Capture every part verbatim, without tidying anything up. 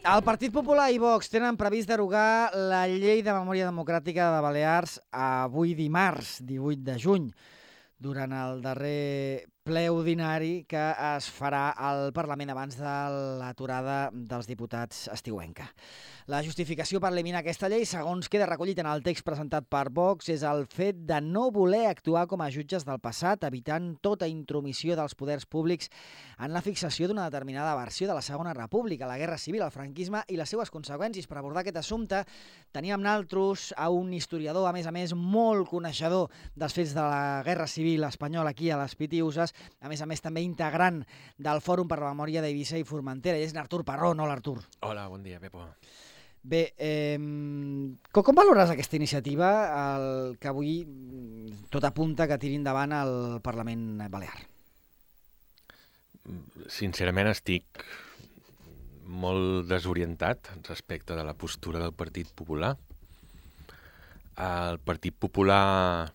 El Partit Popular i Vox tenen previst derogar la Llei de Memòria Democràtica de Balears avui dimarts, divuit de juny, durant el darrer ple ordinari que es farà al Parlament abans de l'aturada dels diputats estiuenca. La justificació per eliminar aquesta llei, segons queda recollit en el text presentat per Vox, és el fet de no voler actuar com a jutges del passat, evitant tota intromissió dels poders públics en la fixació d'una determinada versió de la Segona República, la Guerra Civil, el franquisme i les seues conseqüències. Per abordar aquest assumpte teníem naltros a un historiador, a més a més, molt coneixedor dels fets de la Guerra Civil espanyola aquí a les Pitiüses, a més a més també integrant del Fòrum per la Memòria d'Eivissa i Formentera. Ell és n'Artur Parrón. Hola, Artur. Hola, bon dia, Pepo. Bé, eh, com, com valores aquesta iniciativa, el que avui tot apunta que tiri endavant el Parlament Balear? Sincerament estic molt desorientat respecte de la postura del Partit Popular. El Partit Popular...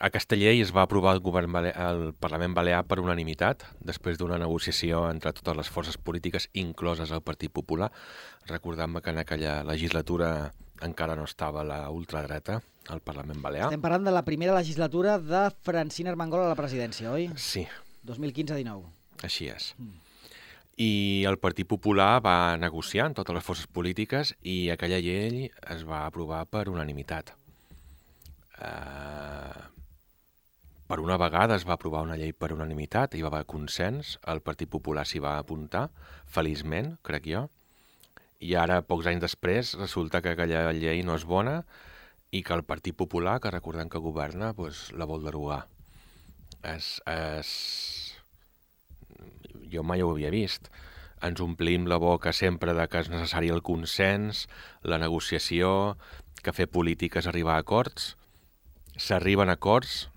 Aquesta llei es va aprovar al govern bale... al Parlament Balear per unanimitat, després d'una negociació entre totes les forces polítiques, incloses el Partit Popular. Recordant-me que en aquella legislatura encara no estava la ultradreta al Parlament Balear. Estem parlant de la primera legislatura de Francina Armengol a la presidència, oi? Sí. dos mil quinze dinou. Així és. Mm. I el Partit Popular va negociar amb totes les forces polítiques i aquella llei es va aprovar per unanimitat. Uh... Per una vegada es va aprovar una llei per unanimitat, hi va haver consens, el Partit Popular s'hi va apuntar, feliçment, crec jo, i ara, pocs anys després, resulta que aquella llei no és bona i que el Partit Popular, que recordem que governa, doncs, la vol derogar. Es, es... Jo mai ho havia vist. Ens omplim la boca sempre de que és necessari el consens, la negociació, que fer política és arribar a acords. S'arriben a acords,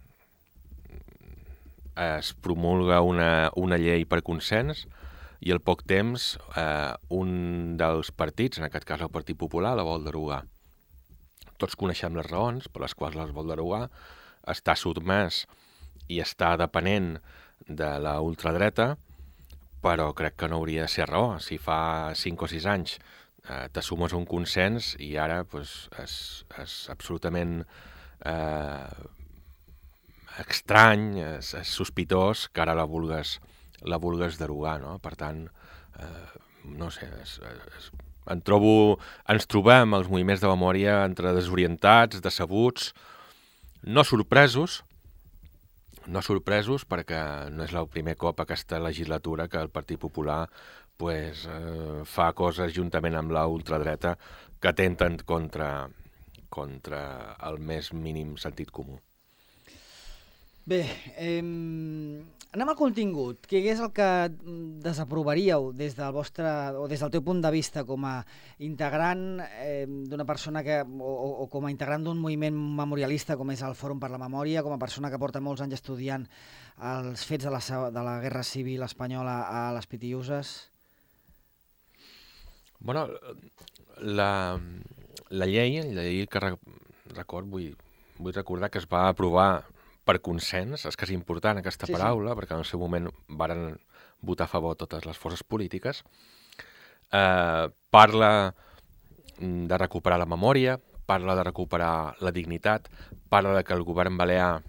es promulga una, una llei per consens i al poc temps eh, un dels partits, en aquest cas el Partit Popular, la vol derogar. Tots coneixem les raons per les quals les vol derogar, està sotmès i està depenent de la ultradreta, però crec que no hauria de ser raó. Si fa cinc o sis anys eh, t'assumes un consens i ara pues, és, és absolutament... Eh, estrany, és, és sospitós que ara la vulgues, la vulgues derogar, no? Per tant, eh, no sé, és, és, en trobo, ens trobem els moviments de memòria entre desorientats, decebuts, no sorpresos, no sorpresos perquè no és el primer cop aquesta legislatura que el Partit Popular pues, eh, fa coses juntament amb la ultradreta que atenten contra, contra el més mínim sentit comú. Bé, eh, anem al contingut. Què és el que desaprovaríeu des del vostre o des del teu punt de vista com a integrant eh, d'una persona que o, o com a integrant d'un moviment memorialista com és el Fòrum per la Memòria, com a persona que porta molts anys estudiant els fets de la, de la Guerra Civil espanyola a les Pitiüses? Bueno, la, la llei, la llei que record, vull, vull recordar que es va aprovar per consens, és que és important aquesta sí, paraula, sí. Perquè en el seu moment varen votar a favor totes les forces polítiques, eh, parla de recuperar la memòria, parla de recuperar la dignitat, parla de que el govern balear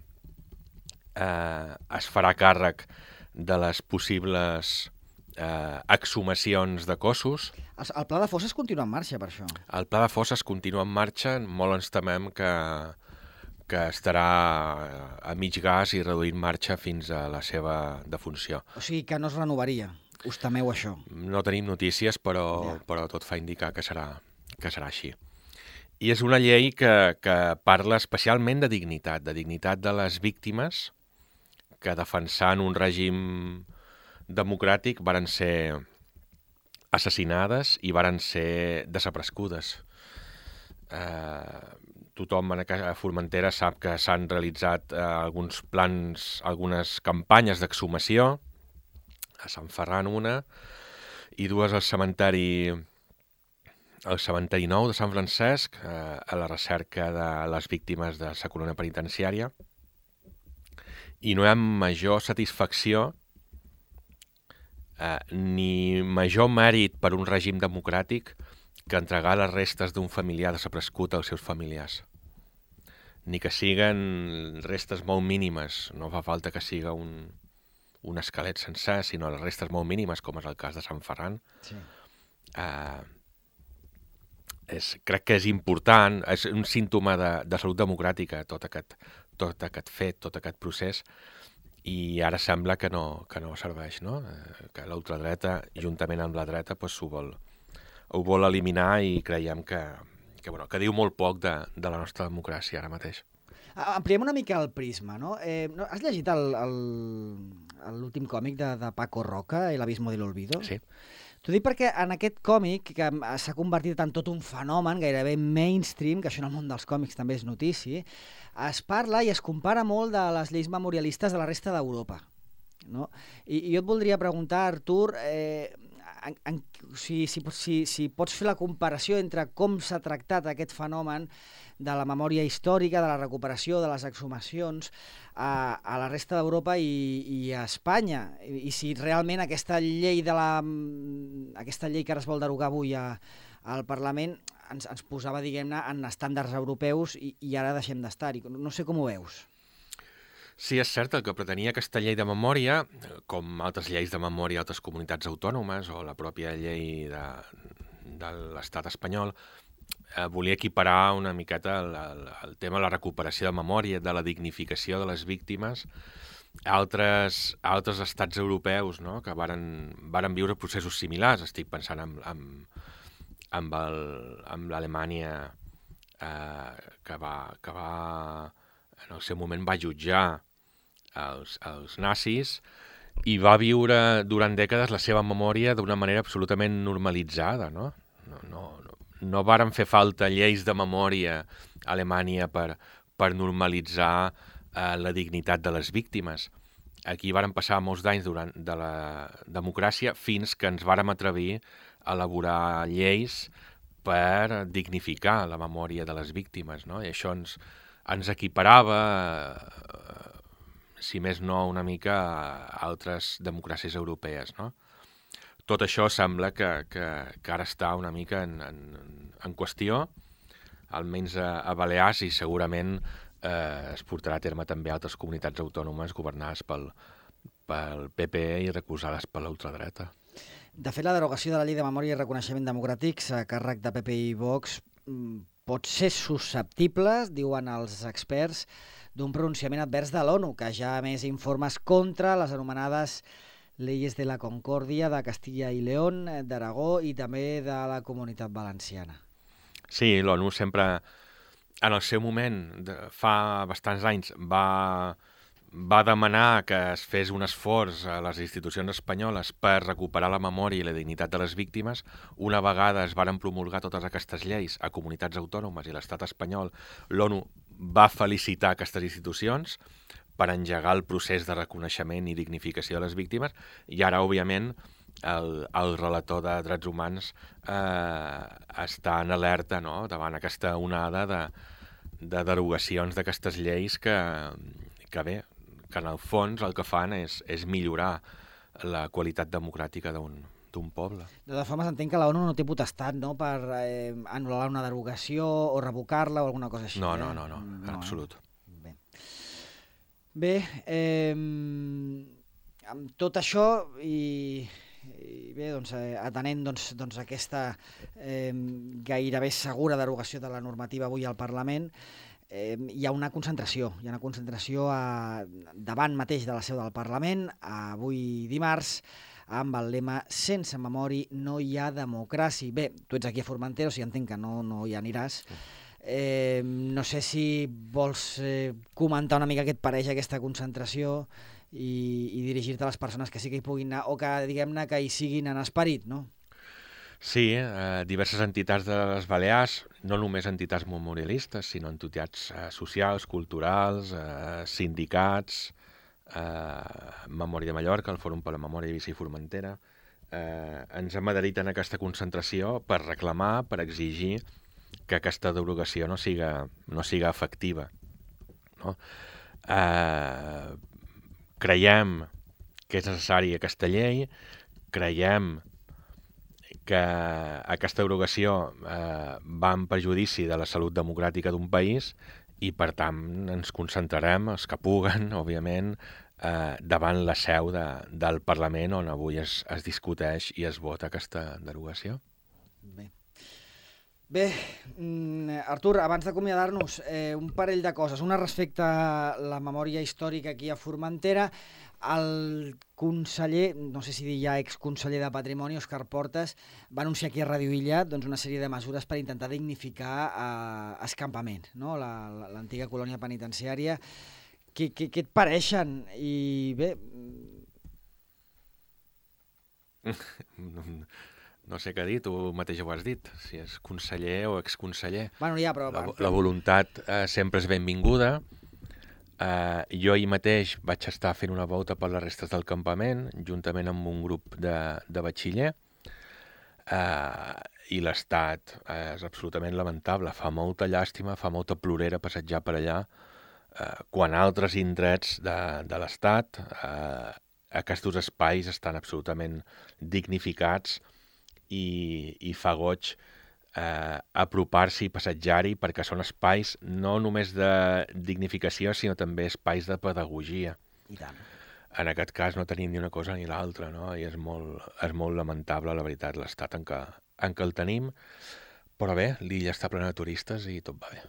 eh, es farà càrrec de les possibles eh, exhumacions de cossos. El, el pla de fosses continua en marxa, per això. El pla de fosses continua en marxa, molt ens temem que que estarà a mig gas i reduint marxa fins a la seva defunció. O sigui que no es renovaria. Us temeu això? No tenim notícies, però, ja. però tot fa indicar que serà, que serà així. I és una llei que, que parla especialment de dignitat, de dignitat de les víctimes que defensant un règim democràtic varen ser assassinades i varen ser desaparegudes. Eh... Tothom a Formentera sap que s'han realitzat eh, alguns plans, algunes campanyes d'exhumació, a Sant Ferran una, i dues al cementeri, al cementeri nou de Sant Francesc, eh, a la recerca de les víctimes de la colònia penitenciària. I no hi ha major satisfacció eh, ni major mèrit per un règim democràtic que entregar les restes d'un familiar desaparegut als seus familiars. Ni que siguen restes molt mínimes, no fa falta que siga un, un esquelet sencer, sinó les restes molt mínimes, com és el cas de Sant Ferran. Sí. Eh, és, crec que és important, és un símptoma de, de salut democràtica, tot aquest, tot aquest fet, tot aquest procés, i ara sembla que no, que no serveix, no? Eh, que l'ultradreta, juntament amb la dreta, pues, ho, vol, ho vol eliminar i creiem que, que, bueno, que diu molt poc de, de la nostra democràcia ara mateix. Ampliem una mica el prisma, no? Eh, no has llegit l'últim còmic de, de Paco Roca, El abismo del olvido? Sí. T'ho dic perquè en aquest còmic, que s'ha convertit en tot un fenomen gairebé mainstream, que això en el món dels còmics també és notícia, es parla i es compara molt de les lleis memorialistes de la resta d'Europa, no? I, I jo et voldria preguntar, Artur, eh, en, en, si, si, si, si pots fer la comparació entre com s'ha tractat aquest fenomen de la memòria històrica, de la recuperació, de les exhumacions a, a la resta d'Europa i, i a Espanya, I, i si realment aquesta llei de la aquesta llei que ara es vol derogar avui a, al Parlament ens, ens posava, diguem-ne, en estàndards europeus i, i ara deixem d'estar-hi. No sé com ho veus. Sí, és cert, el que pretenia aquesta llei de memòria, com altres lleis de memòria d'altres comunitats autònomes o la pròpia llei de, de l'estat espanyol, eh, volia equiparar una miqueta el, el, el tema de la recuperació de memòria, de la dignificació de les víctimes, a altres, a altres estats europeus, no?, que varen, varen viure processos similars. Estic pensant en, en, en, el, en l'Alemanya eh, que, va, que va, en el seu moment va jutjar els, els nazis i va viure durant dècades la seva memòria d'una manera absolutament normalitzada, no? No, no, no, no varen fer falta lleis de memòria a Alemanya per, per normalitzar eh, la dignitat de les víctimes. Aquí varen passar molts d'anys durant de la democràcia fins que ens vàrem atrevir a elaborar lleis per dignificar la memòria de les víctimes, no? I això ens, ens equiparava, eh, si més no, una mica a altres democràcies europees, no? Tot això sembla que, que, que ara està una mica en, en, en qüestió, almenys a, a Balears, i segurament eh, es portarà a terme també a altres comunitats autònomes governades pel, pel P P i recolzades per l'ultradreta. De fet, la derogació de la llei de memòria i reconeixement democràtics a càrrec de P P i Vox pot ser susceptible, diuen els experts, d'un pronunciament advers de l'ONU, que ja ha emès informes contra les anomenades Leyes de la Concòrdia de Castilla i León, d'Aragó i també de la Comunitat Valenciana. Sí, l'ONU sempre, en el seu moment, de, fa bastants anys, va, va demanar que es fes un esforç a les institucions espanyoles per recuperar la memòria i la dignitat de les víctimes. Una vegada es varen promulgar totes aquestes lleis a comunitats autònomes i l'estat espanyol, l'ONU va felicitar aquestes institucions per engegar el procés de reconeixement i dignificació de les víctimes, i ara, òbviament, el, el relator de drets humans eh, està en alerta, no?, davant aquesta onada de, de derogacions d'aquestes lleis que, que, bé, que en el fons el que fan és, és millorar la qualitat democràtica d'un d'un poble. De totes formes, entenc que la ONU no té potestat, no?, per eh, anul·lar una derogació o revocar-la o alguna cosa així. No, eh? no, no, no, en no, absolut. Eh? Bé, Bé eh, amb tot això i, i bé, doncs, eh, atenent doncs, doncs, aquesta eh, gairebé segura derogació de la normativa avui al Parlament, eh, hi ha una concentració, hi ha una concentració a, davant mateix de la seu del Parlament, avui dimarts, amb el lema «Sense memòria no hi ha democràcia». Bé, tu ets aquí a Formentera, o sigui, entenc que no, no hi aniràs. Eh, no sé si vols eh, comentar una mica què et pareix aquesta concentració i, i dirigir-te a les persones que sí que hi puguin anar o que, diguem-ne, que hi siguin en esperit, no? Sí, eh, diverses entitats de les Balears, no només entitats memorialistes, sinó entitats eh, socials, culturals, eh, sindicats, eh, Memòria de Mallorca, el Fòrum per la Memòria d'Eivissa i Formentera, eh, ens hem adherit en aquesta concentració per reclamar, per exigir que aquesta derogació no siga, no siga efectiva, no? Eh, creiem que és necessària aquesta llei, creiem que aquesta derogació eh, va en perjudici de la salut democràtica d'un país i, per tant, ens concentrarem, els que puguen, òbviament, eh, davant la seu de, del Parlament on avui es, es discuteix i es vota aquesta derogació. Bé. Bé, Artur, abans d'acomiadar-nos, eh, un parell de coses. Una respecte a la memòria històrica aquí a Formentera. El conseller, no sé si dir ja exconseller de Patrimoni, Òscar Portas, va anunciar aquí a Ràdio Illa doncs, una sèrie de mesures per intentar dignificar eh, Escampament, no? l'antiga colònia penitenciària. Què, què, què et pareixen? I bé... No sé què dir, tu mateix ho has dit, si és conseller o exconseller. Bueno, ja, però... La, la voluntat eh, sempre és benvinguda. Eh, jo ahir mateix vaig estar fent una volta per les restes del campament, juntament amb un grup de, de batxiller, eh, i l'estat eh, és absolutament lamentable. Fa molta llàstima, fa molta plorera passejar per allà, eh, quan altres indrets de, de l'estat, eh, aquests espais estan absolutament dignificats, i, i fa goig eh, apropar-s'hi i passejar-hi perquè són espais no només de dignificació, sinó també espais de pedagogia. I tant. En aquest cas no tenim ni una cosa ni l'altra, no? I és molt, és molt lamentable, la veritat, l'estat en què, en què el tenim, però bé, l'illa està plena de turistes i tot va bé.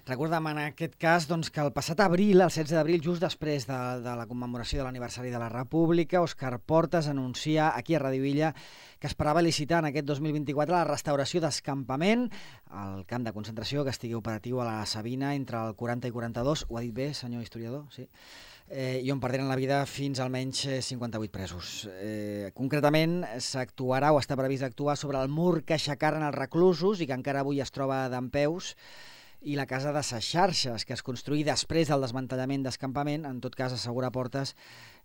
Recordem en aquest cas doncs, que el passat abril, el setze d'abril, just després de, de la commemoració de l'aniversari de la República, Òscar Portas anuncia aquí a Ràdio Illa que esperava licitar en aquest dos mil vint-i-quatre la restauració d'Escampament, el camp de concentració que estigui operatiu a la Sabina entre el quaranta i quaranta-dos, ho ha dit bé, senyor historiador? Sí. Eh, i on perderen la vida fins almenys cinquanta-vuit presos. Eh, concretament, s'actuarà o està previst actuar sobre el mur que aixecaren els reclusos i que encara avui es troba dempeus, i la casa de ses xarxes, que es construí després del desmantellament d'Escampament. En tot cas, assegura Portas,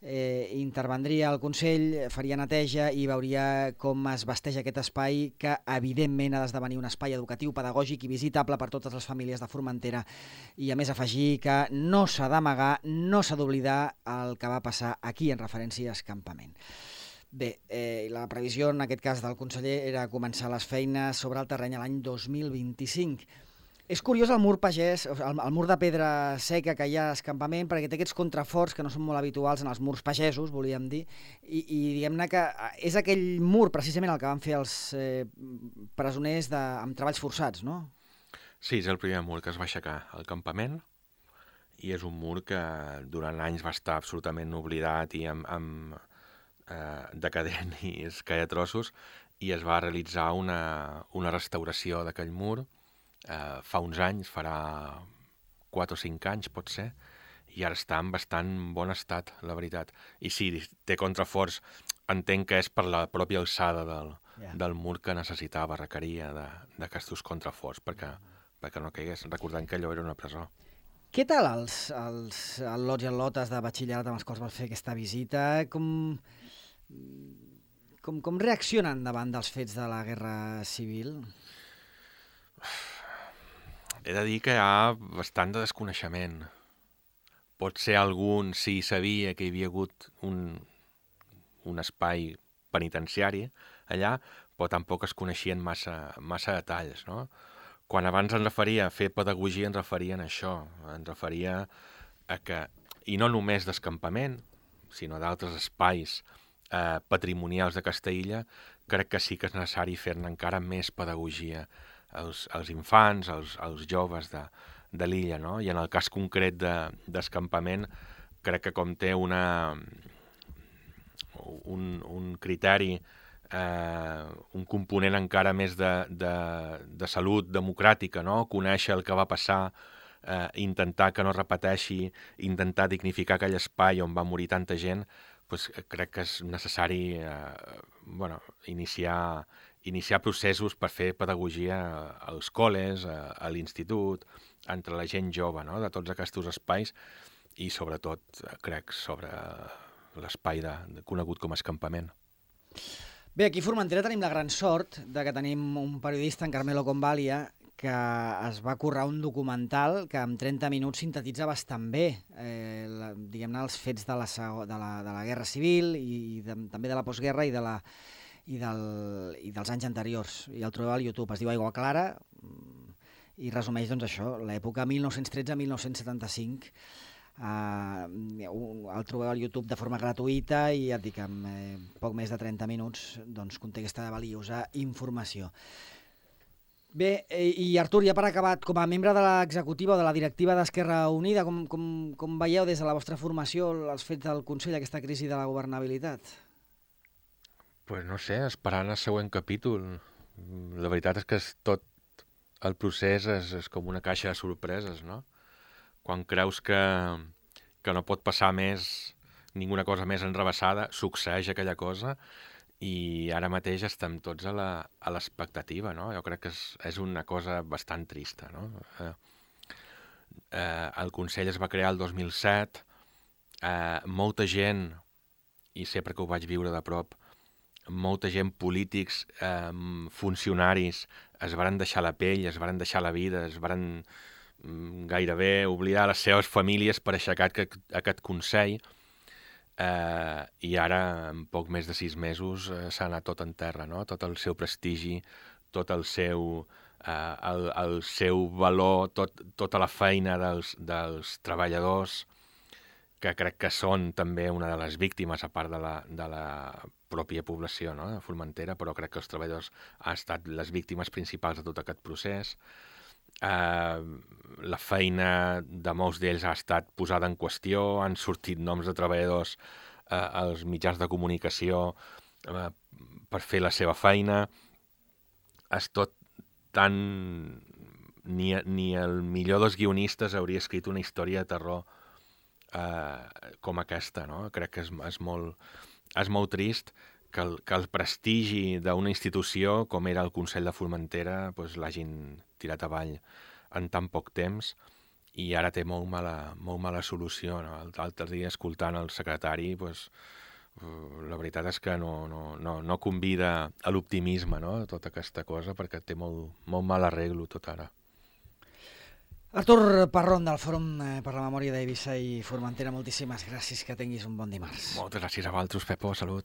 eh, intervendria el Consell, faria neteja i veuria com es vesteix aquest espai, que evidentment ha d'esdevenir un espai educatiu, pedagògic i visitable per totes les famílies de Formentera, i a més afegir que no s'ha d'amagar, no s'ha d'oblidar el que va passar aquí en referència a Escampament. Bé, eh, la previsió en aquest cas del conseller era començar les feines sobre el terreny l'any dos mil vint-i-cinc. És curiós el mur pagès, el, el mur de pedra seca que hi ha a Escampament, perquè té aquests contraforts que no són molt habituals en els murs pagesos, volíem dir, i, i diguem-ne que és aquell mur precisament el que van fer els eh, presoners de, amb treballs forçats, no? Sí, és el primer mur que es va aixecar al campament, i és un mur que durant anys va estar absolutament oblidat i amb, amb eh, decadent i es caia a trossos, i es va realitzar una, una restauració d'aquell mur. Uh, fa uns anys, farà quatre o cinc anys, pot ser, i ara està en bastant bon estat, la veritat. I sí, té contraforts, entenc que és per la pròpia alçada del, yeah. del mur que necessitava, requeria d'aquests contraforts perquè, perquè no caigués, recordant que allò era una presó. Què tal els, els al·lots i al·lotes de batxillerat amb els quals vas fer aquesta visita? Com, com, com reaccionen davant dels fets de la Guerra Civil? He de dir que hi ha bastant de desconeixement. Pot ser algun, sí, sabia que hi havia hagut un, un espai penitenciari allà, però tampoc es coneixien massa, massa detalls, no? Quan abans ens referia a fer pedagogia, ens referien a això, ens referia a que, i no només d'escampament, sinó d'altres espais eh, patrimonials de Castellilla, crec que sí que és necessari fer-ne encara més pedagogia als, als infants, als, als joves de, de l'illa, no? I en el cas concret d'Escampament, de, crec que com té una, un, un criteri, eh, un component encara més de, de, de salut democràtica, no? Conèixer el que va passar, eh, intentar que no repeteixi, intentar dignificar aquell espai on va morir tanta gent, pues, crec que és necessari eh, bueno, iniciar... iniciar processos per fer pedagogia als col·les, a, a l'institut, entre la gent jove, no? De tots aquests espais, i sobretot, crec, sobre l'espai de, de conegut com a Escampament. Bé, aquí a Formentera tenim la gran sort de que tenim un periodista, en Carmelo Convalia, que es va currar un documental que en trenta minuts sintetitza bastant bé eh, la, diguem-ne, els fets de la, de la, de la Guerra Civil i de, també de la postguerra i, de la, i, del, i dels anys anteriors. I el trobeu al YouTube, es diu Aigua Clara i resumeix doncs, això, l'època mil nou-cents tretze a mil nou-cents setanta-cinc. Uh, el trobeu al YouTube de forma gratuïta i ja et dic, en eh, poc més de trenta minuts doncs, conté aquesta valiosa informació. Bé, i Artur, ja per acabat, com a membre de l'executiva o de la directiva d'Esquerra Unida, com, com, com veieu des de la vostra formació els fets del Consell, aquesta crisi de la governabilitat? Pues no sé, esperant el següent capítol. La veritat és que és tot el procés és, és com una caixa de sorpreses, no? Quan creus que, que no pot passar més, ninguna cosa més enrevessada, succeeix aquella cosa i ara mateix estem tots a l'expectativa, no? Jo crec que és, és una cosa bastant trista, no? Eh, eh, el Consell es va crear el dos mil set, eh, molta gent, i sé perquè ho vaig viure de prop, molta gent, polítics, eh, funcionaris, es varen deixar la pell, es varen deixar la vida, es varen gairebé oblidar les seves famílies per aixecar aquest, aquest Consell eh, i ara, en poc més de sis mesos, eh, s'ha anat tot en terra, no? Tot el seu prestigi, tot el seu, eh, el, el seu valor, tot, tota la feina dels, dels treballadors, que crec que són també una de les víctimes, a part de la, de la pròpia població, no? De Formentera, però crec que els treballadors han estat les víctimes principals de tot aquest procés. Uh, la feina de molts d'ells ha estat posada en qüestió, han sortit noms de treballadors uh, als mitjans de comunicació uh, per fer la seva feina. És tot tan... Ni, ni el millor dels guionistes hauria escrit una història de terror uh, com aquesta, no? Crec que és, és, molt, és molt trist que el, que el prestigi d'una institució com era el Consell de Formentera pues, l'hagin tirat avall en tan poc temps i ara té molt mala, molt mala solució. No? L'altre dia, escoltant el secretari, pues, la veritat és que no, no, no, no convida a l'optimisme, no? Tota aquesta cosa, perquè té molt, molt mal arreglo tot ara. Artur Parrón, del Fòrum per la Memòria d'Eivissa i Formentera, moltíssimes gràcies, que tinguis un bon dimarts. Moltes gràcies a vosaltres, Pepo, salut.